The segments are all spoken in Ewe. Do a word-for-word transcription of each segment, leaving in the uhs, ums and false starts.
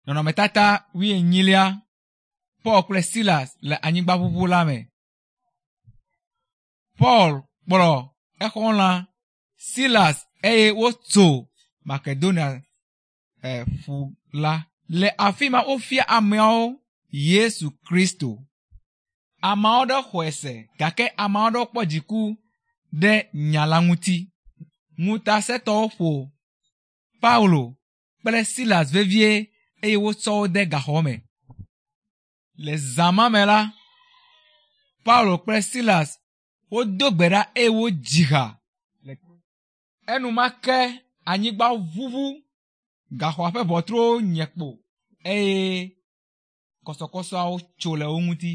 Nɔnɔmetata wuienyilia Paul kple Silas le anyigbaʋuʋu la me. Paul kplɔ exɔlɔ̃a Silas eye wotso Makedonia eh, ƒu la. Le afi ma wofia ameawo Yesu Kristo. Ame aɖewo xɔe se gake ame aɖewo kpɔ dziku ɖe nya la ŋuti. Ŋutasẽtɔwo ƒo Paulo kple Silas vevie eye wotsɔ wo de gaxɔ me. Le zã ma me la, Paulo kple Silas wodo gbe ɖa eye wodzi ha. Enumake anyigba ʋuʋu, gaxɔa ƒe ʋɔtruwo nye kpo eye kɔsɔkɔsɔawo tso le wo ŋuti.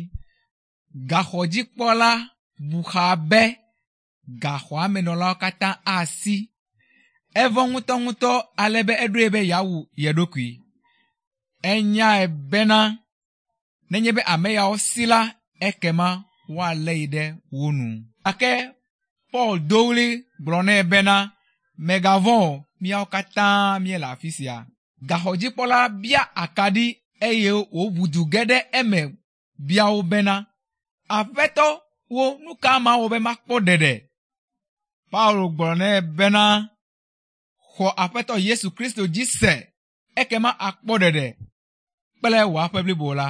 Gaxɔdzikpɔla bu xa be gaxɔa me nɔlawo katã asi. Evɔ̃ ŋutɔŋutɔ ale be eɖoe be yeawu ye ɖokui. Enyae bena nenye be ame yawo si la, ekema woalé yi ɖe wo nu. Gake Paul do ɣli gblɔ nɛ bena, mègavɔ̃ o, míawo katã míele afi sia. Gaxɔdzikpɔla bia akaɖi eye wòʋu du ge ɖe eme bia wo bena, Aƒetɔ wo nu ka mawɔ be makpɔ ɖeɖe? Paulo gblɔ nɛ bena, xɔ Aƒetɔ Yesu Kristo dzi se ekema akpɔ ɖeɖe kple wò aƒe blibo la.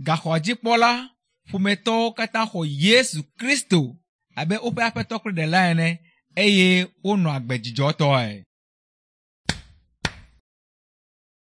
Gaxɔdzikpɔla ƒometɔwo katã xɔ Yesu Kristo abe woƒe aƒetɔ kple ɖela ene eye wonɔ agbe dzidzɔtɔe.